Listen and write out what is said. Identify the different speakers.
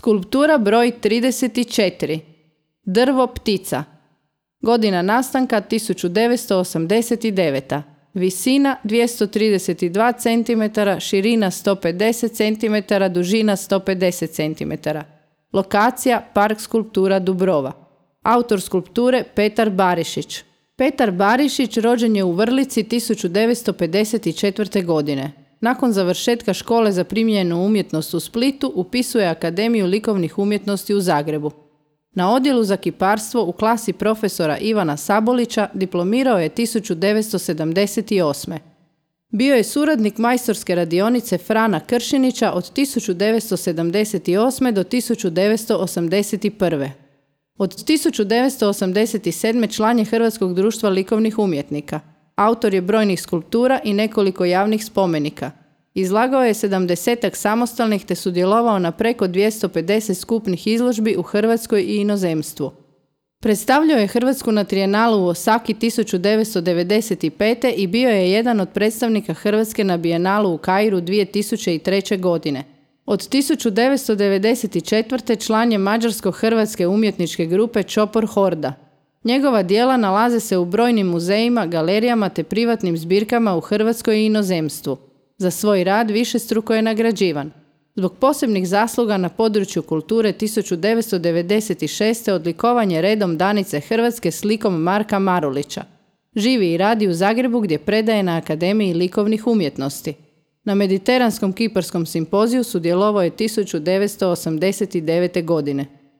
Speaker 1: Skulptura broj 34. Drvo ptica. Godina nastanka 1989. Visina 232 cm, širina 150 cm, dužina 150 cm. Lokacija Park skulptura Dubrova. Autor skulpture Petar Barišić. Petar Barišić rođen je u Vrlici 1954. godine. Nakon završetka škole za primijenjenu umjetnost u Splitu upisuje Akademiju likovnih umjetnosti u Zagrebu. Na odjelu za kiparstvo u klasi profesora Ivana Sabolića diplomirao je 1978. Bio je suradnik majstorske radionice Frana Kršinića od 1978. do 1981. Od 1987. član je Hrvatskog društva likovnih umjetnika. Autor je brojnih skulptura i nekoliko javnih spomenika. Izlagao je 70-ak samostalnih te sudjelovao na preko 250 skupnih izložbi u Hrvatskoj i inozemstvu. Predstavljao je Hrvatsku na Trijenalu u Osaki 1995. i bio je jedan od predstavnika Hrvatske na Bijenalu u Kairu 2003. godine. Od 1994. član je mađarsko-hrvatske umjetničke grupe Čopor Horda. Njegova djela nalaze se u brojnim muzejima, galerijama te privatnim zbirkama u Hrvatskoj i inozemstvu. Za svoj rad višestruko je nagrađivan. Zbog posebnih zasluga na području kulture 1996. odlikovan je redom Danice Hrvatske s likom Marka Marulića. Živi i radi u Zagrebu gdje predaje na Akademiji likovnih umjetnosti. Na Mediteranskom kiparskom simpoziju sudjelovao je 1989. godine.